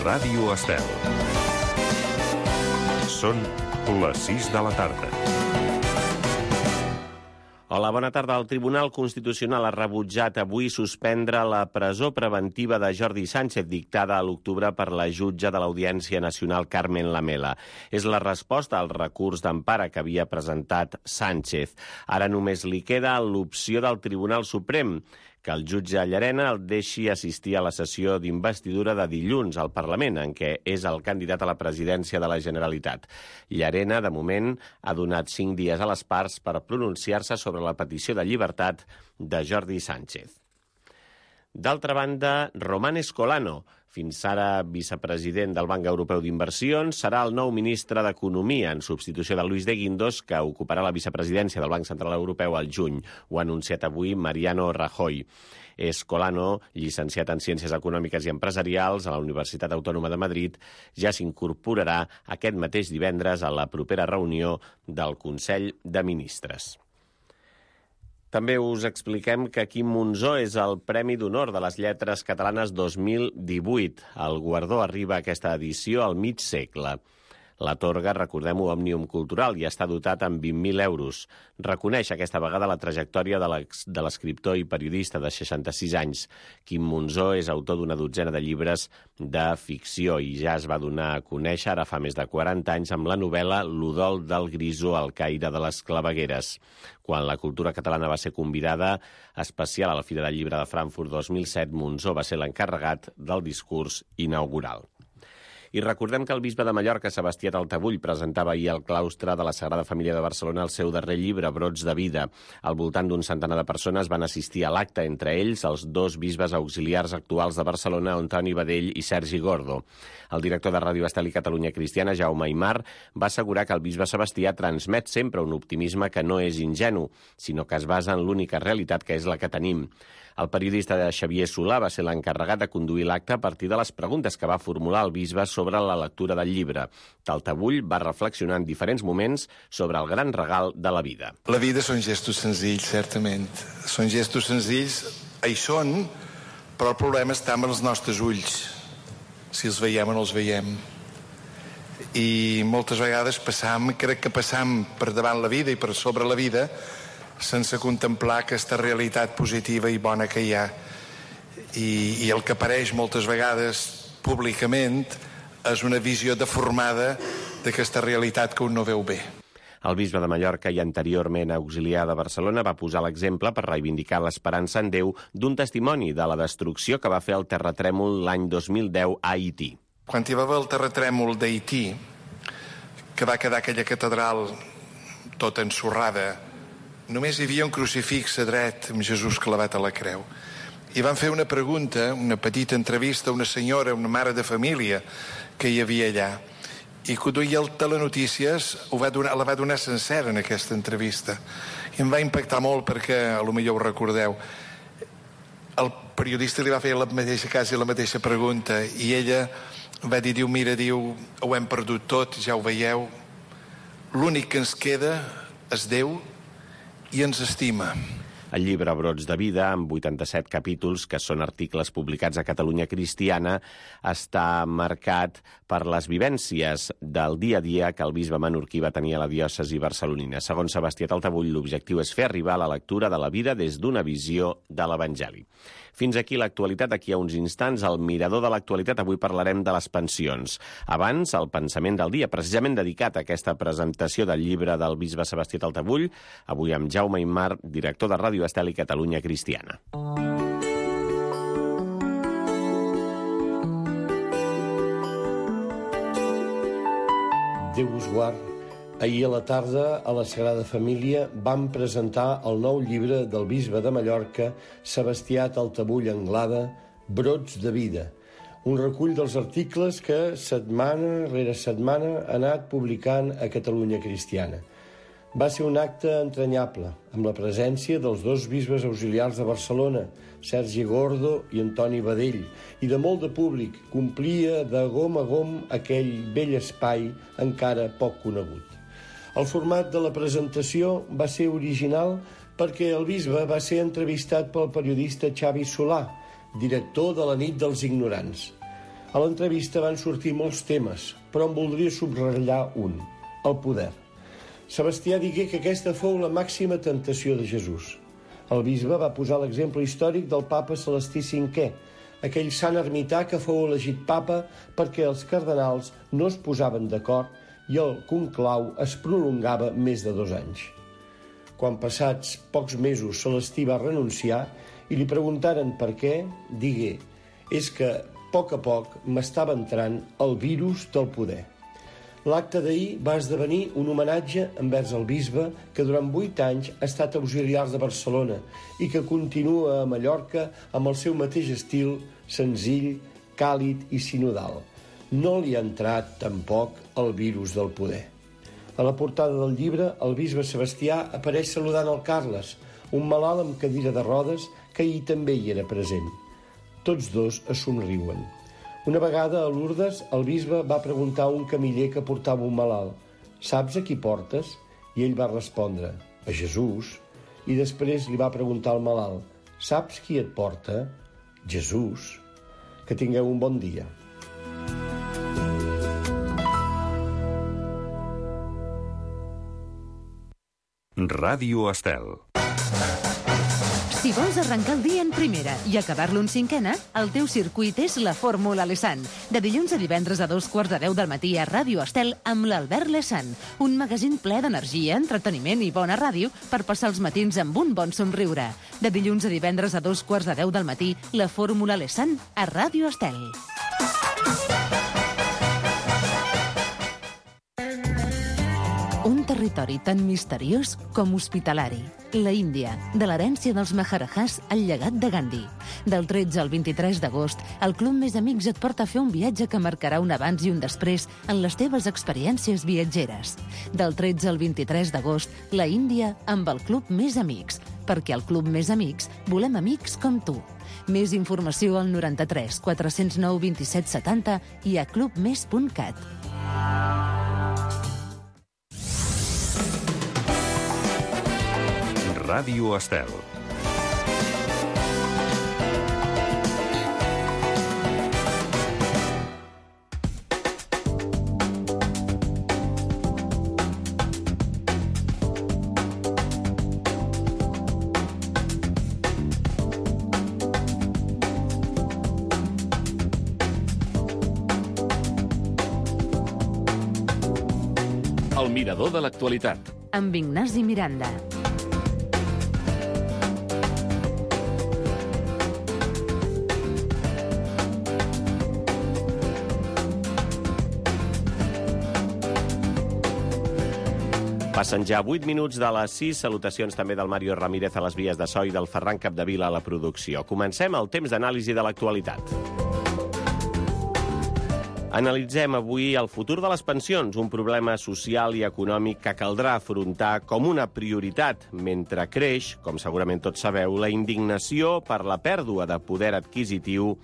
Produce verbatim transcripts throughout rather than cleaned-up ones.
Ràdio Estel. Són les sis de la tarda. Hola, bona tarda. El Tribunal Constitucional ha rebutjat avui suspendre la presó preventiva de Jordi Sánchez dictada a l'octubre per la jutge de l'Audiència Nacional Carmen Lamela. És la resposta al recurs d'empara que havia presentat Sánchez. Ara només li queda l'opció del Tribunal Suprem, que el jutge Llarena el deixi assistir a la sessió d'investidura de dilluns al Parlament, en què és el candidat a la presidència de la Generalitat. Llarena, de moment, ha donat cinc dies a les parts per pronunciar-se sobre la petició de llibertat de Jordi Sánchez. D'altra banda, Román Escolano, fins ara vicepresident del Banc Europeu d'Inversions, serà el nou ministre d'Economia en substitució de Luis de Guindos, que ocuparà la vicepresidència del Banc Central Europeu al juny. Ho ha anunciat avui Mariano Rajoy. Escolano, llicenciat en Ciències Econòmiques i Empresarials a la Universitat Autònoma de Madrid, ja s'incorporarà aquest mateix divendres a la propera reunió del Consell de Ministres. També us expliquem que Quim Monzó és el Premi d'Honor de les Lletres Catalanes dos mil divuit. El guardó arriba a aquesta edició al mig segle. L'atorga, recordem-ho, Òmnium Cultural i està dotat amb vint mil euros. Reconeix aquesta vegada la trajectòria de l'escriptor i periodista de seixanta-sis anys. Quim Monzó és autor d'una dotzena de llibres de ficció i ja es va donar a conèixer ara fa més de quaranta anys amb la novel·la L'Udol del Grisó al caire de les clavegueres. Quan la cultura catalana va ser convidada especial a la Fira del Llibre de Frankfurt dos mil set, Monzó va ser l'encarregat del discurs inaugural. I recordem que el bisbe de Mallorca, Sebastià Taltabull, presentava ahir al claustre de la Sagrada Família de Barcelona el seu darrer llibre, Brots de vida. Al voltant d'un centenar de persones van assistir a l'acte, entre ells els dos bisbes auxiliars actuals de Barcelona, Antoni Badell i Sergi Gordo. El director de Ràdio Estel i Catalunya Cristiana, Jaume Aymar, va assegurar que el bisbe Sebastià transmet sempre un optimisme que no és ingenu, sinó que es basa en l'única realitat que és la que tenim. El periodista Xavier Solà va ser l'encarregat de conduir l'acte a partir de les preguntes que va formular el bisbe sobre la lectura del llibre. Taltabull va reflexionar en diferents moments sobre el gran regal de la vida. La vida són gestos senzills, certament. Són gestos senzills, hi són, però el problema està amb els nostres ulls. Si els veiem o no els veiem. I moltes vegades passam, crec que passam per davant la vida i per sobre la vida sense contemplar aquesta realitat positiva i bona que hi ha. I, i el que apareix moltes vegades públicament és una visió deformada d'aquesta realitat que un no veu bé. El bisbe de Mallorca i anteriorment auxiliar de Barcelona va posar l'exemple per reivindicar l'esperança en Déu d'un testimoni de la destrucció que va fer el terratrèmol l'any dos mil deu a Haití. Quan hi va haver el terratrèmol d'Haití, que va quedar aquella catedral tota ensorrada, només hi havia un crucifix a dret amb Jesús clavat a la creu. I van fer una pregunta, una petita entrevista a una senyora, una mare de família que hi havia allà. I que duia el Telenotícies ho va donar, la va donar sencera en aquesta entrevista. I em va impactar molt perquè, a lo millor ho recordeu, el periodista li va fer la mateixa casa i la mateixa pregunta i ella va dir, diu, mira, diu, ho hem perdut tot, ja ho veieu. L'únic que ens queda és Déu i ens estima. El llibre Brots de vida, amb vuitanta-set capítols, que són articles publicats a Catalunya Cristiana, està marcat per les vivències del dia a dia que el bisbe menorquí va tenir a la diòcesi barcelonina. Segons Sebastià Taltabull, l'objectiu és fer arribar la lectura de la vida des d'una visió de l'Evangeli. Fins aquí l'actualitat. Aquí a uns instants, al Mirador de l'actualitat, avui parlarem de les pensions. Abans, el pensament del dia, precisament dedicat a aquesta presentació del llibre del bisbe Sebastià Taltabull, avui amb Jaume Aymar, director de Ràdio Estel i Catalunya Cristiana. Déu us guard. Ahir a la tarda, a la Sagrada Família, vam presentar el nou llibre del bisbe de Mallorca, Sebastià Taltabull Anglada, Brots de vida, un recull dels articles que setmana rere setmana ha anat publicant a Catalunya Cristiana. Va ser un acte entranyable, amb la presència dels dos bisbes auxiliars de Barcelona, Sergi Gordo i Antoni Badell, i de molt de públic. Complia de gom a gom aquell vell espai encara poc conegut. El format de la presentació va ser original perquè el bisbe va ser entrevistat pel periodista Xavi Solà, director de la Nit dels Ignorants. A l'entrevista van sortir molts temes, però en voldria subratllar un, el poder. Sebastià digué que aquesta fou la màxima tentació de Jesús. El bisbe va posar l'exemple històric del papa Celestí cinquè, aquell sant ermità que fou elegit papa perquè els cardenals no es posaven d'acord i el conclau es prolongava més de dos anys. Quan passats pocs mesos Celestí va renunciar i li preguntaren per què, digué: és que a poc a poc m'estava entrant el virus del poder. L'acte d'ahir va esdevenir un homenatge envers el bisbe que durant vuit anys ha estat auxiliar de Barcelona i que continua a Mallorca amb el seu mateix estil senzill, càlid i sinodal. No li ha entrat tampoc el virus del poder. A la portada del llibre, el bisbe Sebastià apareix saludant el Carles, un malalt amb cadira de rodes que ahir també hi era present. Tots dos es somriuen. Una vegada a Lourdes, el bisbe va preguntar a un camiller que portava un malalt: «Saps a qui portes?» I ell va respondre: «A Jesús». I després li va preguntar al malalt: «Saps qui et porta?» «Jesús». Que tingueu un bon dia. Ràdio Estel. Si vols arrencar el dia en primera i acabar-lo en cinquena, el teu circuit és la Fórmula Lesan. De dilluns a divendres a dos quarts de deu del matí a Ràdio Estel amb l'Albert Lesan. Un magazín ple d'energia, entreteniment i bona ràdio per passar els matins amb un bon somriure. De dilluns a divendres a dos quarts de deu del matí, la Fórmula Lesan a Ràdio Estel. Un territori tan misteriós com hospitalari. La Índia, de l'herència dels Maharajahs al llegat de Gandhi. Del tretze al vint-i-tres d'agost, el Club Més Amics et porta a fer un viatge que marcarà un abans i un després en les teves experiències viatgeres. Del tretze al vint-i-tres d'agost, la Índia amb el Club Més Amics. Perquè al Club Més Amics volem amics com tu. Més informació al noranta-tres quatre-cents nou vint-i-set setanta i a clubmes punt cat. Ràdio Estel. El mirador de l'actualitat. Amb Ignasi Miranda. Passen ja vuit minuts de les sis. Salutacions també del Mario Ramírez a les vies de so i del Ferran Capdevila a la producció. Comencem el temps d'anàlisi de l'actualitat. Analitzem avui el futur de les pensions, un problema social i econòmic que caldrà afrontar com una prioritat, mentre creix, com segurament tots sabeu, la indignació per la pèrdua de poder adquisitiu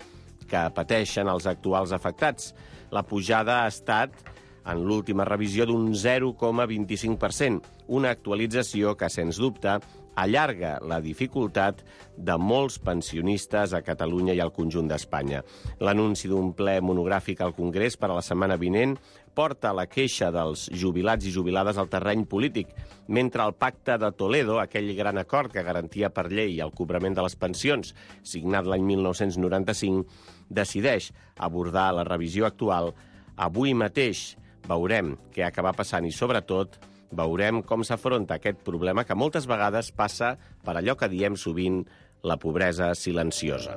que pateixen els actuals afectats. La pujada ha estat, en l'última revisió, d'un zero coma vint-i-cinc per cent, una actualització que, sens dubte, allarga la dificultat de molts pensionistes a Catalunya i al conjunt d'Espanya. L'anunci d'un ple monogràfic al Congrés per a la setmana vinent porta la queixa dels jubilats i jubilades al terreny polític, mentre el Pacte de Toledo, aquell gran acord que garantia per llei el cobrament de les pensions, signat l'any mil nou-cents noranta-cinc, decideix abordar la revisió actual. Avui mateix veurem què acaba passant i, sobretot, veurem com s'afronta aquest problema que moltes vegades passa per allò que diem sovint la pobresa silenciosa.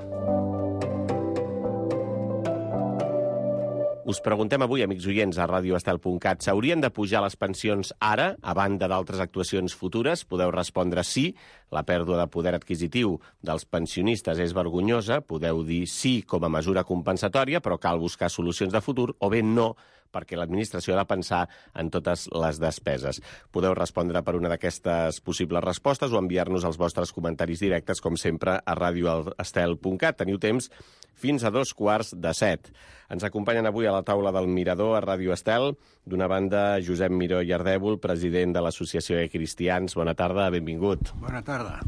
Us preguntem avui, amics oients, a ràdio estel punt cat, s'haurien de pujar les pensions ara, a banda d'altres actuacions futures? Podeu respondre sí, la pèrdua de poder adquisitiu dels pensionistes és vergonyosa, podeu dir sí com a mesura compensatòria, però cal buscar solucions de futur, o bé no, perquè l'administració ha de pensar en totes les despeses. Podeu respondre per una d'aquestes possibles respostes o enviar-nos els vostres comentaris directes, com sempre, a ràdio estel punt cat. Teniu temps fins a dos quarts de set. Ens acompanyen avui a la taula del Mirador a Ràdio Estel. D'una banda, Josep Miró i Ardèvol, president de l'Associació de Cristians. Bona tarda, benvingut. Bona tarda.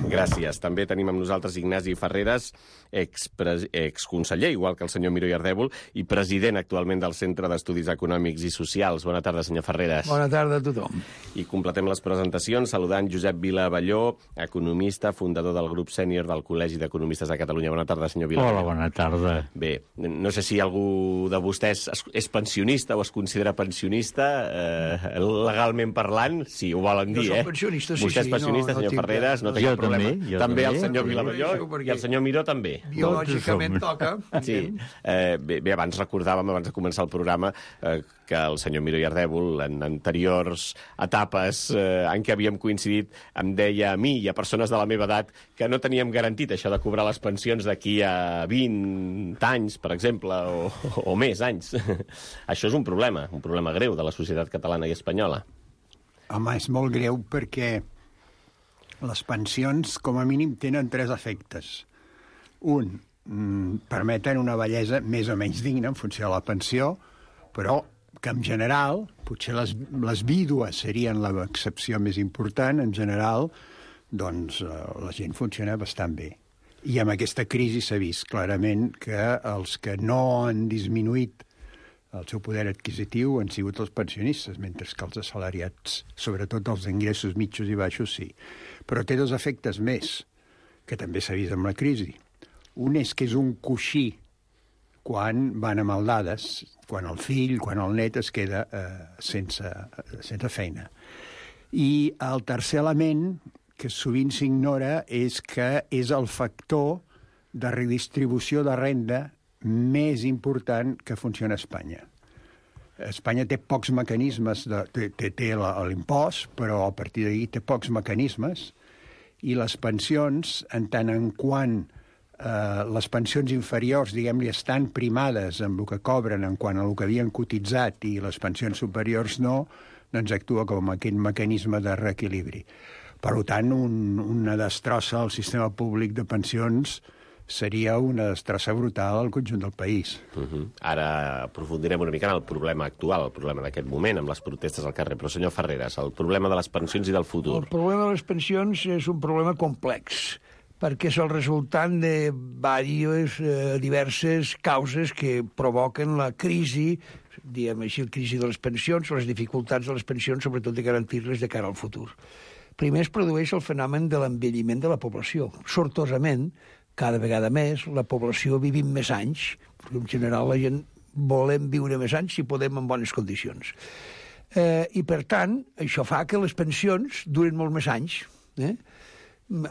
Gràcies. També tenim amb nosaltres Ignasi Ferreres, exconseller, igual que el senyor Miró i Ardèvol, i president actualment del Centre d'Estudis Econòmics i Socials. Bona tarda, senyor Ferreres. Bona tarda a tothom. I completem les presentacions saludant Josep Vila Abelló, economista, fundador del grup sènior del Col·legi d'Economistes de Catalunya. Bona tarda, senyor Vila Abelló. Hola, bona tarda. Bé, no sé si algú de vostès és pensionista o es considera pensionista, eh, legalment parlant, si ho volen dir, eh? Jo soc pensionista, sí, Vostè és sí, pensionista, no- no senyor tinc Ferreres, no cap- té Jo cap problema. també, jo també el també. senyor Vila Sí, Abelló perquè- i el senyor Miró també. Biològicament Tots toca. Sí, eh, bé, bé, abans recordàvem, abans de començar el programa, eh, que el senyor Miró i Ardèvol, en anteriors etapes eh, en què havíem coincidit, em deia a mi i a persones de la meva edat que no teníem garantit això de cobrar les pensions d'aquí a vint anys, per exemple, o, o més anys. Això és un problema, un problema greu de la societat catalana i espanyola. Home, és molt greu perquè les pensions, com a mínim, tenen tres efectes. Un, mm, permeten una bellesa més o menys digna en funció de la pensió, però que en general, potser les, les vídues serien l'excepció més important, en general, doncs eh, la gent funciona bastant bé. I amb aquesta crisi s'ha vist clarament que els que no han disminuït el seu poder adquisitiu han sigut els pensionistes, mentre que els assalariats, sobretot els ingressos mitjos i baixos, sí. Però té dos efectes més, que també s'ha vist amb la crisi. Un és que és un coixí quan van a maldades, quan el fill, quan el net es queda eh, sense, sense feina. I el tercer element, que sovint s'ignora, és que és el factor de redistribució de renda més important que funciona a Espanya. Espanya té pocs mecanismes, de, té, té, té l'impost, però a partir d'ahir té pocs mecanismes, i les pensions, en tant en quant eh, les pensions inferiors, diguem-li, estan primades amb el que cobren en quant a el que havien cotitzat i les pensions superiors no, doncs actua com aquest mecanisme de reequilibri. Per tant, un, una destrossa al sistema públic de pensions seria una destrossa brutal al conjunt del país. Uh -huh. Ara aprofundirem una mica en el problema actual, el problema d'aquest moment, amb les protestes al carrer. Però, senyor Ferreres, el problema de les pensions i del futur. El problema de les pensions és un problema complex, perquè és el resultat de diverses, eh, diverses causes que provoquen la crisi, diguem així, la crisi de les pensions, les dificultats de les pensions, sobretot de garantir-les de cara al futur. Primer es produeix el fenomen de l'envelliment de la població. Sortosament, cada vegada més, la població vivim més anys, perquè en general la gent volem viure més anys si podem en bones condicions. Eh, I, per tant, això fa que les pensions durin molt més anys, eh?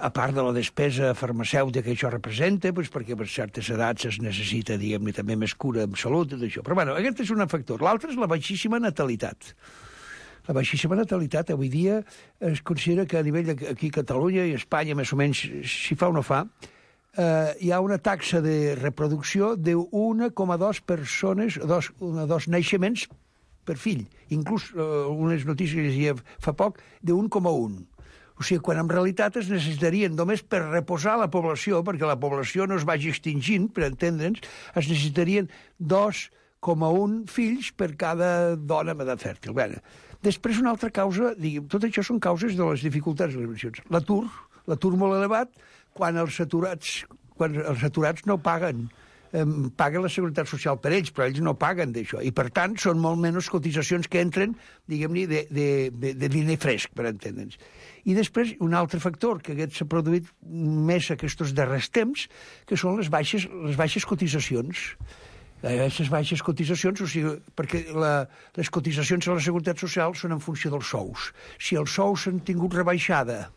A part de la despesa farmacèutica que això representa, doncs perquè per certes edats es necessita, diguem-ne, també més cura en salut i d'això. Però, bueno, aquest és un factor. L'altre és la baixíssima natalitat. La baixíssima natalitat avui dia es considera que a nivell d'aquí a Catalunya i Espanya, més o menys, si fa o no fa, eh, hi ha una taxa de reproducció d'un coma dos persones, dos, una, dos naixements per fill. Inclús eh, unes notícies que llegia fa poc, d'un coma un. O sigui, quan en realitat es necessitarien, només per reposar la població, perquè la població no es vagi extingint, per entendre'ns, es necessitarien dos coma un fills per cada dona amb edat fèrtil. Bé, després, una altra causa, diguem, tot això són causes de les dificultats de les pensions. L'atur, l'atur molt elevat, quan els aturats, quan els aturats no paguen, eh, paguen la Seguretat Social per ells, però ells no paguen d'això. I, per tant, són molt menys cotitzacions que entren, diguem-ne, de, de, de, de diner fresc, per entendre'ns. I després, un altre factor que s'ha produït més aquests darrers temps, que són les baixes, les baixes cotitzacions. Aquestes baixes cotitzacions, o sigui, perquè la, les cotitzacions a la Seguretat Social són en funció dels sous. Si els sous s'han tingut rebaixada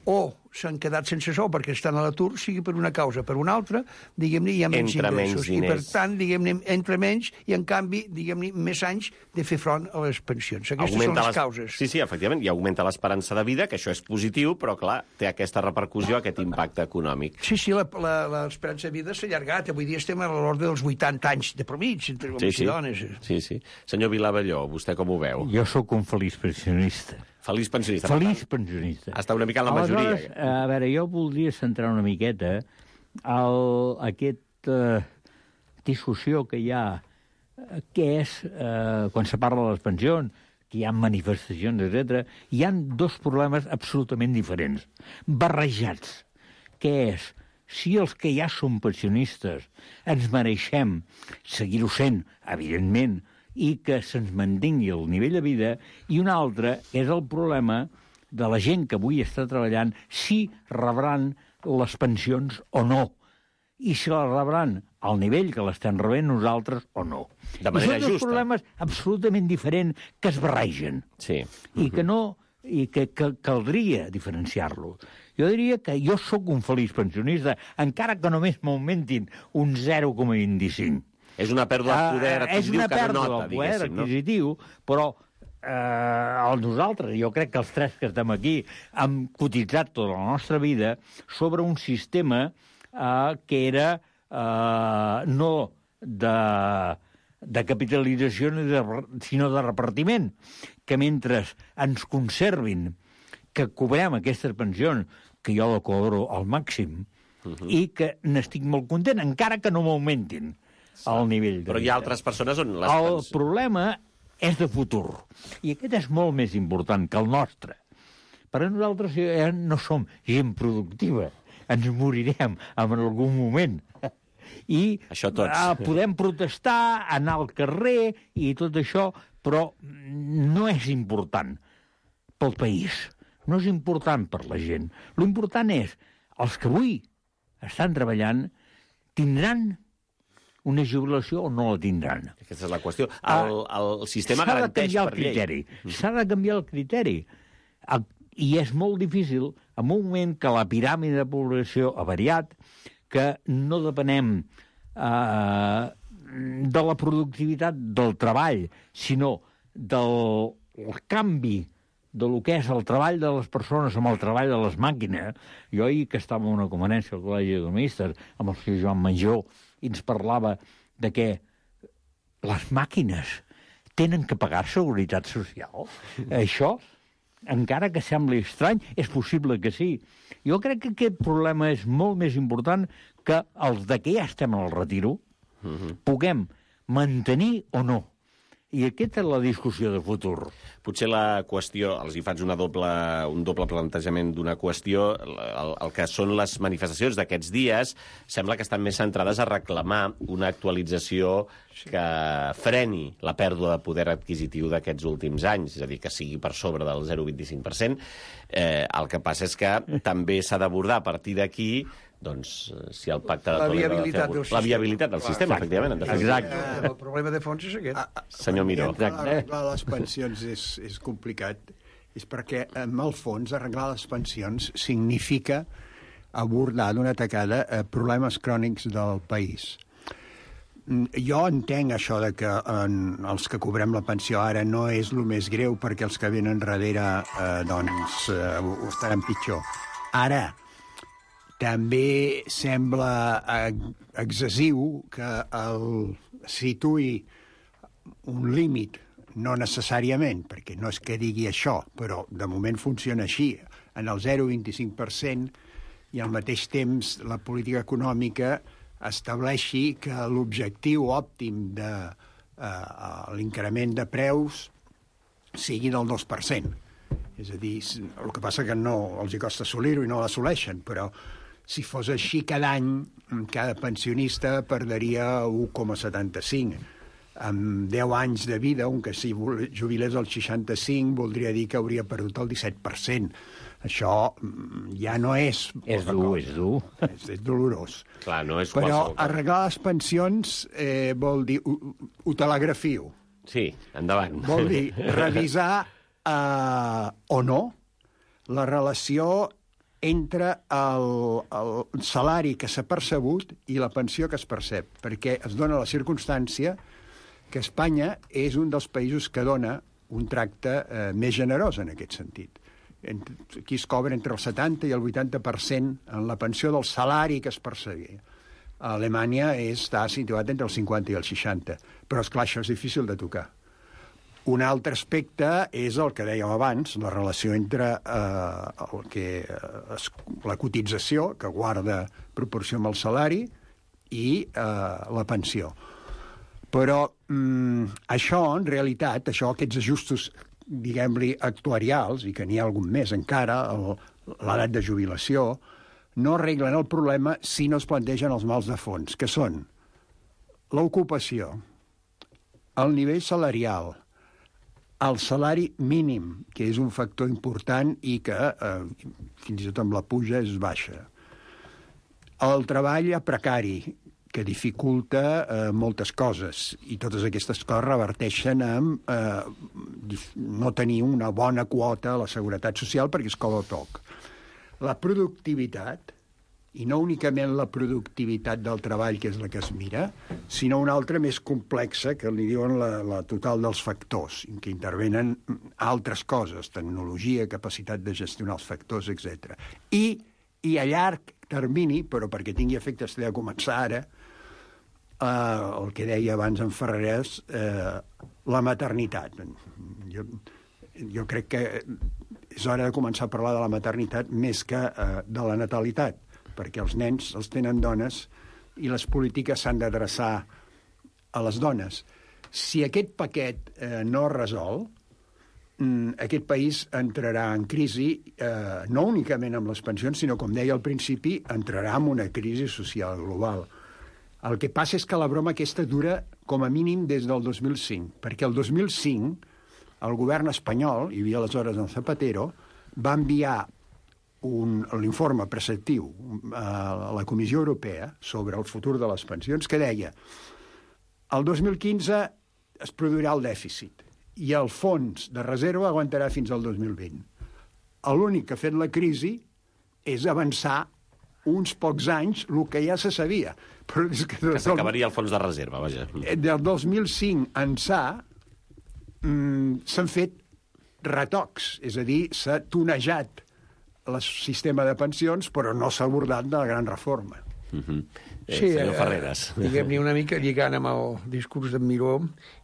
o s'han quedat sense sou perquè estan a l'atur, sigui per una causa o per una altra, diguem-ne, hi ha menys Entra ingressos. menys I, per diners. tant, diguem-ne, entre menys i, en canvi, diguem-ne, més anys de fer front a les pensions. Aquestes Augmenta són les les- causes. Sí, sí, efectivament, i augmenta l'esperança de vida, que això és positiu, però, clar, té aquesta repercussió, aquest impacte econòmic. Sí, sí, la- la- l'esperança de vida s'ha allargat. Avui dia estem a l'ordre dels vuitanta anys de promig, entre homes Sí, i sí. dones. sí, sí. Senyor Vilabelló, vostè com ho veu? Jo sóc un feliç pensionista. Feliç pensionista. Feliç pensionista. Està una mica en la majoria. Aleshores, a veure, jo voldria centrar una miqueta el, aquest aquesta discussió que hi ha, que és, eh, quan se parla de les pensions, que hi ha manifestacions, etcètera, hi ha dos problemes absolutament diferents, barrejats, que és, si els que ja som pensionistes ens mereixem seguir-ho sent, evidentment, i que se'ns mantingui el nivell de vida, i un altre és el problema de la gent que avui està treballant, si rebran les pensions o no, i si les rebran al nivell que l'estem rebent nosaltres o no. De manera I són dos justa. problemes absolutament diferents que es barregen. Sí. I que no i que, que caldria diferenciar-lo. Jo diria que jo sóc un feliç pensionista, encara que només m'augmentin un zero coma vint-i-cinc. És una pèrdua de poder Uh, és adquisitiu una que no pèrdua nota, del poder diguéssim, no? adquisitiu, però eh, el nosaltres, jo crec que els tres que estem aquí, hem cotitzat tota la nostra vida sobre un sistema eh, que era eh, no de, de capitalització sinó de repartiment, que mentre ens conservin que cobrem aquestes pensions, que jo la cobro al màxim, uh-huh. i que n'estic molt content, encara que no m'augmentin al nivell de Però hi ha altres persones on les El pens- problema és de futur, i aquest és molt més important que el nostre. Per a nosaltres ja no som gent productiva, ens morirem en algun moment. I Això tots. eh, podem protestar, anar al carrer i tot això, però no és important pel país, no és important per la gent. L'important és, els que avui estan treballant tindran una jubilació o no la tindran. Aquesta és la qüestió. El, el sistema S'ha de garanteix canviar el per llei. criteri. S'ha de canviar el criteri. El- I és molt difícil, en un moment que la piràmide de població ha variat, que no depenem eh, de la productivitat del treball, sinó del el canvi de lo que és el treball de les persones amb el treball de les màquines. Jo ahir que estava en una conferència al Col·legi d'Economistes amb el senyor Joan Manjó i ens parlava de que les màquines tenen que pagar seguretat social. Això, encara que sembli estrany, és possible que sí. Jo crec que aquest problema és molt més important que els de que ja estem al retiro puguem mantenir o no. I aquesta és la discussió de futur. Potser la qüestió, els hi faig una doble, un doble plantejament d'una qüestió, el, el que són les manifestacions d'aquests dies, sembla que estan més centrades a reclamar una actualització que freni la pèrdua de poder adquisitiu d'aquests últims anys, és a dir, que sigui per sobre del zero coma vint-i-cinc per cent. Eh, el que passa és que també s'ha d'abordar a partir d'aquí doncs, si el pacte de La Toledo ha de viabilitat fer- del La sistema. viabilitat del Clar. sistema, efectivament. En definitiva. Exacte. Eh, el problema de fons és aquest. Ah, Senyor Miró. Arreglar les pensions és, és complicat. És perquè, en el fons, arreglar les pensions significa abordar d'una tacada eh, problemes crònics del país. Mm, Jo entenc això de que en, els que cobrem la pensió ara no és el més greu perquè els que venen darrere eh, doncs, eh, ho, ho estaran pitjor. Ara, també sembla eh, excessiu que el situï un límit, no necessàriament, perquè no és que digui això, però de moment funciona així, en el zero coma vint-i-cinc per cent, i al mateix temps la política econòmica estableixi que l'objectiu òptim de eh, l'increment de preus sigui del dos per cent. És a dir, el que passa que no els hi costa assolir-ho i no l'assoleixen, però si fos així cada any, cada pensionista perdria un coma setanta-cinc. Amb deu anys de vida, un que si jubilés als seixanta-cinc voldria dir que hauria perdut el disset per cent. Això ja no és... És dur, és dur. És, és dolorós. Clar, no és Però qualsevol cosa. arreglar les pensions eh, vol dir... Ho, ho telegrafio. Sí, endavant. Vol dir revisar eh, o no la relació entre el, el salari que s'ha percebut i la pensió que es percep, perquè es dona la circumstància que Espanya és un dels països que dona un tracte eh, més generós en aquest sentit. Aquí es cobra entre el setanta i el vuitanta per cent en la pensió del salari que es percebia. A Alemanya està situat entre el cinquanta i el seixanta, però és clar, això és difícil de tocar. Un altre aspecte és el que dèiem abans, la relació entre eh, el que, eh, es, la cotització, que guarda proporció amb el salari, i eh, la pensió. Però mm, això, en realitat, això, aquests ajustos, diguem-li, actuarials, i que n'hi ha algun més encara, l'edat de jubilació, no arreglen el problema si no es plantegen els mals de fons, que són l'ocupació, el nivell salarial, el salari mínim, que és un factor important i que eh, fins i tot amb la puja és baixa. El treball precari, que dificulta eh, moltes coses, i totes aquestes coses reverteixen en eh, no tenir una bona quota a la seguretat social perquè es cobra poc. La productivitat, i no únicament la productivitat del treball, que és la que es mira, sinó una altra més complexa, que li diuen la, la total dels factors, en què intervenen altres coses, tecnologia, capacitat de gestionar els factors, etcètera. I, i a llarg termini, però perquè tingui efectes de començar ara, eh, el que deia abans en Ferrerès, eh, la maternitat. Jo, jo crec que és hora de començar a parlar de la maternitat més que eh, de la natalitat, perquè els nens els tenen dones i les polítiques s'han d'adreçar a les dones. Si aquest paquet eh, no es resol, mm, aquest país entrarà en crisi, eh, no únicament amb les pensions, sinó, com deia al principi, entrarà en una crisi social global. El que passa és que la broma aquesta dura com a mínim des del dos mil cinc, perquè el dos mil cinc el govern espanyol, hi havia aleshores en Zapatero, va enviar l'informe preceptiu a la Comissió Europea sobre el futur de les pensions, que deia el dos mil quinze es produirà el dèficit i el fons de reserva aguantarà fins al dos mil vint. L'únic que ha fet la crisi és avançar uns pocs anys el que ja se sabia. Però és que, que s'acabaria el fons de reserva, vaja. Del dos mil cinc ençà mm, s'han fet retocs, és a dir, s'ha tunejat el sistema de pensions, però no s'ha abordat de la gran reforma. Uh-huh. eh, sí, senyor Ferreres. Eh, diguem-ne una mica lligant amb el discurs d'en Miró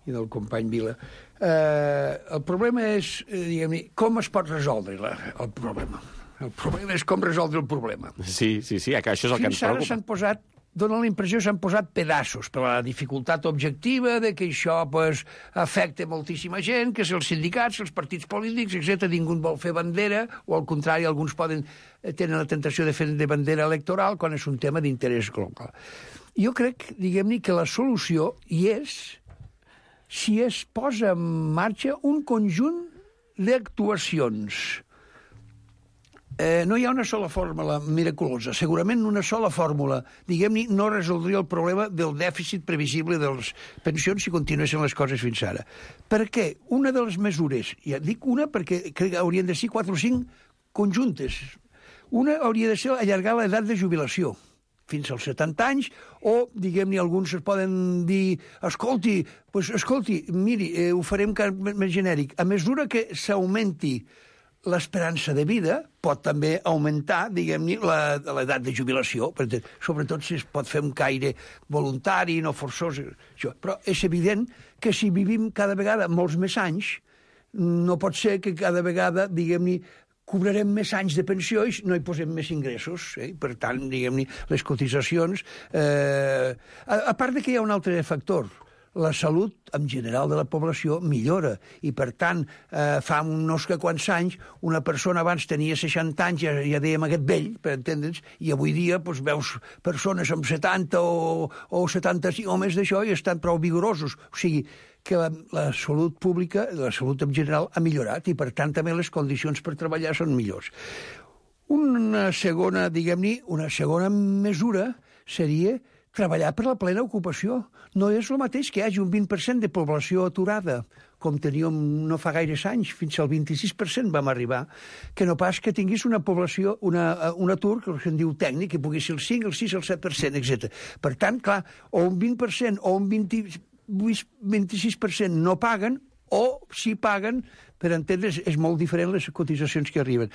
i del company Vila. Eh, el problema és, eh, diguem-ne, com es pot resoldre la, el problema. El problema és com resoldre el problema. Sí, sí, sí, això és el Fins que ens preocupa. Fins ara s'han posat, dona la impressió que s'han posat pedaços per la dificultat objectiva de que això pues, afecta moltíssima gent, que si els sindicats, els partits polítics, etcètera, ningú vol fer bandera, o al contrari, alguns poden tenen la tentació de fer de bandera electoral quan és un tema d'interès global. Jo crec, diguem-ne, que la solució hi és si es posa en marxa un conjunt d'actuacions. Eh, no hi ha una sola fórmula miraculosa. Segurament una sola fòrmula, diguem-ne, no resoldria el problema del dèficit previsible de les pensions si continuessin les coses fins ara. Per què? Una de les mesures, ja dic una perquè crec que haurien de ser quatre o cinc conjuntes. Una hauria de ser allargar l'edat de jubilació fins als setanta anys, o, diguem-ne, alguns es poden dir, escolti, pues, escolti, miri, eh, ho farem més genèric. A mesura que s'augmenti l'esperança de vida, pot també augmentar, diguem-ne, l'edat de jubilació, sobretot si es pot fer un caire voluntari, no forçós. Això. Però és evident que si vivim cada vegada molts més anys, no pot ser que cada vegada, diguem-ne, cobrarem més anys de pensió i no hi posem més ingressos. Eh? Per tant, diguem-ne, les cotitzacions... Eh... A, a part de que hi ha un altre factor, la salut en general de la població millora i, per tant, eh, fa uns que quants anys una persona abans tenia seixanta anys, ja, ja dèiem aquest vell, per entendre'ns, i avui dia doncs, veus persones amb setanta o, o setanta-cinc o més d'això i estan prou vigorosos. O sigui, que la, la salut pública, la salut en general, ha millorat i, per tant, també les condicions per treballar són millors. Una segona, diguem-ne, una segona mesura seria treballar per la plena ocupació. No és el mateix que hi hagi un vint per cent de població aturada, com teníem no fa gaires anys, fins al vint-i-sis per cent vam arribar, que no pas que tinguis una població, una, un atur, que se'n diu tècnic, que pugui ser el cinc, el sis, el set per cent, etcètera. Per tant, clar, o un vint per cent o un vint-i-sis per cent no paguen, o si paguen, per entendre's, és molt diferent les cotitzacions que arriben.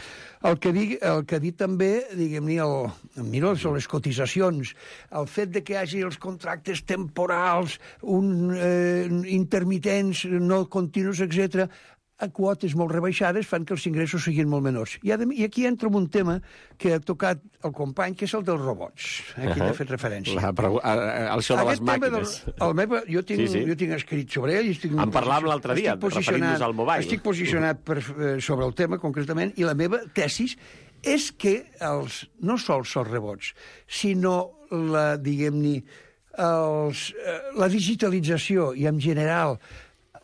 El que, dic, el que ha dit també, diguem-ne, el, el Miró, sobre les cotitzacions, el fet de que hi hagi els contractes temporals, un, eh, intermitents, no continus, etcètera, a quotes molt rebaixades fan que els ingressos siguin molt menors. I, I aquí entra un tema que ha tocat el company, que és el dels robots. Aquí uh -huh. he fet referència. La, però, el show de les màquines. Del, el meva, jo, tinc, sí, sí. jo tinc escrit sobre ell. Estic en parlàvem l'altre dia, referint-nos al mobile. Estic posicionat per, sobre el tema, concretament, i la meva tesis és que els, no sols els robots, sinó la, diguem-ne, els, la digitalització i, en general,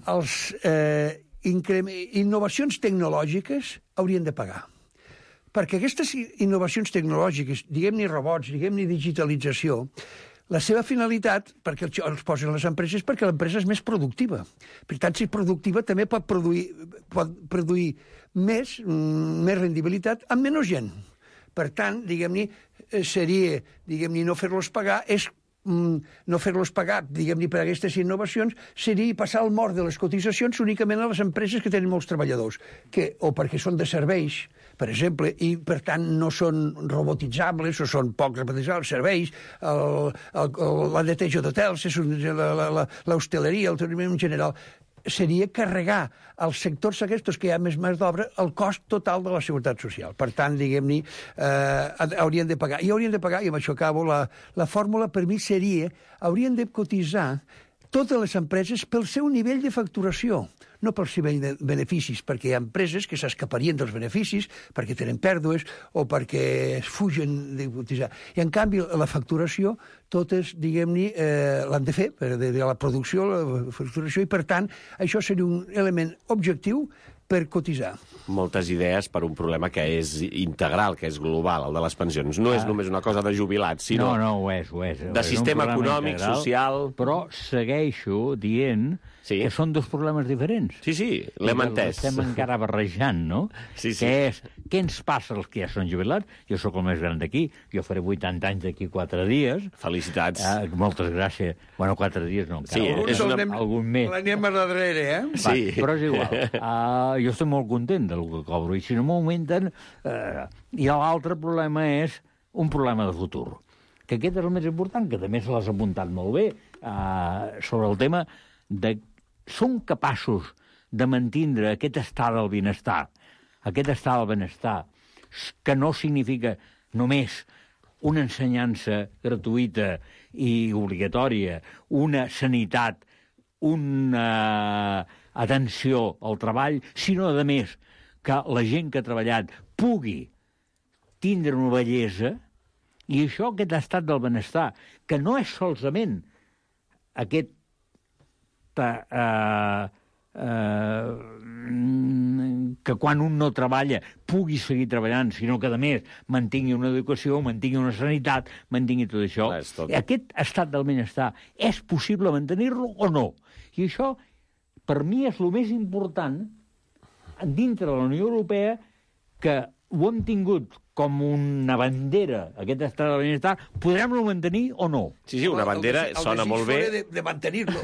els... Eh, innovacions tecnològiques haurien de pagar. Perquè aquestes innovacions tecnològiques, diguem-ne robots, diguem-ne digitalització, la seva finalitat, perquè els posen les empreses, perquè l'empresa és més productiva. Per tant, si és productiva, també pot produir, pot produir més, més rendibilitat amb menys gent. Per tant, diguem-ne, seria, diguem-ne, no fer-los pagar és no fer-los pagar, diguem-ne, per aquestes innovacions, seria passar el mort de les cotitzacions únicament a les empreses que tenen molts treballadors, que, o perquè són de serveis, per exemple, i per tant no són robotitzables o són poc robotitzables, serveis, el, el, el, la neteja d'hotels, l'hostaleria, el turisme en general, seria carregar als sectors aquests que hi ha més mà d'obra el cost total de la seguretat social. Per tant, diguem-ne, eh, haurien de pagar. I haurien de pagar, i amb això acabo, la, la fórmula per mi seria, haurien de cotitzar totes les empreses pel seu nivell de facturació, no pel seu nivell de beneficis, perquè hi ha empreses que s'escaparien dels beneficis perquè tenen pèrdues o perquè es fugen de cotitzar. I, en canvi, la facturació, totes, diguem-ne, eh, l'han de fer, de, de la producció, la facturació, i, per tant, això seria un element objectiu per cotitzar. Moltes idees per un problema que és integral, que és global, el de les pensions. No ah. és només una cosa de jubilats, sinó... No, no, ho és, ho és. De és sistema econòmic, integral, social... Però segueixo dient sí. que són dos problemes diferents. Sí, sí, l'hem entès. Estem encara barrejant, no? Sí, sí. Què és, què ens passa als que ja són jubilats? Jo sóc el més gran d'aquí, jo faré vuitanta anys d'aquí quatre dies. Felicitats. Eh, moltes gràcies. Bueno, quatre dies no, encara. Sí, és una... anem, algun més. L'anem a darrere, eh? Va, sí. Però és igual. Uh, jo estic molt content del que cobro, i si no m'augmenten... Uh, I l'altre problema és un problema de futur, que aquest és el més important, que també se l'has apuntat molt bé, uh, sobre el tema de... Som capaços de mantindre aquest estat del benestar, aquest estat del benestar, que no significa només una ensenyança gratuïta i obligatòria, una sanitat, una atenció al treball, sinó, a més, que la gent que ha treballat pugui tindre una bellesa, i això, aquest estat del benestar, que no és solament aquest eh, eh, que quan un no treballa pugui seguir treballant, sinó que, a més, mantingui una educació, mantingui una sanitat, mantingui tot això. Tot. Aquest estat del benestar és possible mantenir-lo o no? I això, per mi, és el més important dintre de la Unió Europea, que ho hem tingut com una bandera, aquest estat del benestar, podrem-lo mantenir o no? Sí, sí, una bandera el, el, el sona molt bé. De, de mantenir-lo.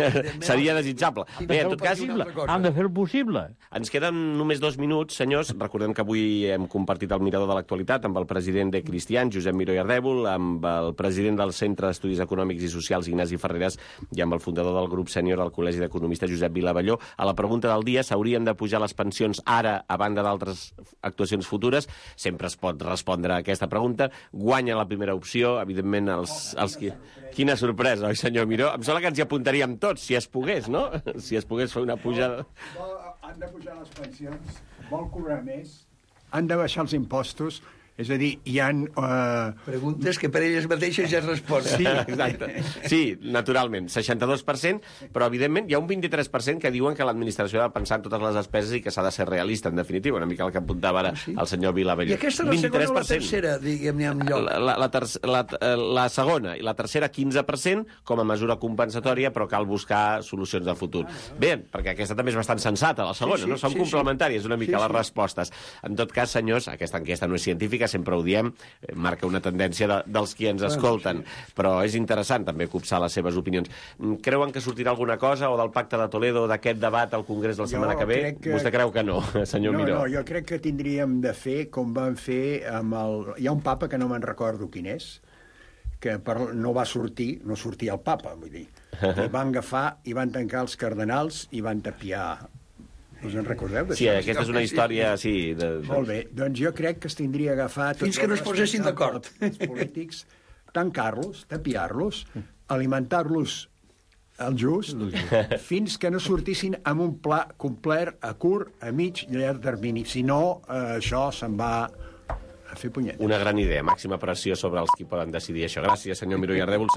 Seria desitjable. Bé, en tot cas, han de fer-ho possible. Ens queden només dos minuts, senyors. Recordem que avui hem compartit el mirador de l'actualitat amb el president de Cristians, Josep Miró i Ardèvol, amb el president del Centre d'Estudis Econòmics i Socials, Ignasi Ferreras, i amb el fundador del grup sènior del Col·legi d'Economistes, Josep Vilavalló. A la pregunta del dia, s'haurien de pujar les pensions ara, a banda d'altres actuacions futures? Sempre es pot respondre a aquesta pregunta. Guanya la primera opció, evidentment, els... els qui... Quina sorpresa, oi, senyor Miró? Em sembla que ens hi apuntaríem tots, si es pogués, no? Si es pogués fer una pujada... Vol, vol, han de pujar les pensions, vol cobrar més, han de baixar els impostos, és a dir, hi ha... Uh... Preguntes que per elles mateixes ja es responen. Sí, exacte. Sí, naturalment, seixanta-dos per cent, però, evidentment, hi ha un vint-i-tres per cent que diuen que l'administració ha de pensar en totes les despeses i que s'ha de ser realista, en definitiva, una mica el que apuntava ara sí? el senyor Vilavalló. I aquesta és la segona o la tercera, diguem-ne, en lloc? La, la, la, ter la, la segona i la tercera, quinze per cent, com a mesura compensatòria, però cal buscar solucions del futur. Bé, perquè aquesta també és bastant sensata, la segona, sí, sí, no? Són sí, complementàries una mica sí, les sí. respostes. En tot cas, senyors, aquesta enquesta no és científica, sempre ho diem, marca una tendència de, dels qui ens escolten, però és interessant també copsar les seves opinions. Creuen que sortirà alguna cosa o del Pacte de Toledo, d'aquest debat al Congrés la setmana jo que ve? Que... Vostè creu que no, senyor no, Miró? No, jo crec que tindríem de fer com van fer amb el... Hi ha un papa que no me'n recordo quin és, que per... no va sortir, no sortia el papa, vull dir. I van agafar i van tancar els cardenals i van tapiar Us en recordeu d'això? Sí, aquesta és una història, sí. De... Molt bé, doncs jo crec que es tindria agafat... Fins que no es posessin d'acord. Els polítics, tancar-los, tapiar-los, alimentar-los al just, fins que no sortissin amb un pla complet a curt, a mig i a llarg termini. Si no, eh, això se'n va a fer punyetes. Una gran idea, màxima pressió sobre els qui poden decidir això. Gràcies, senyor Miró i Ardèvol.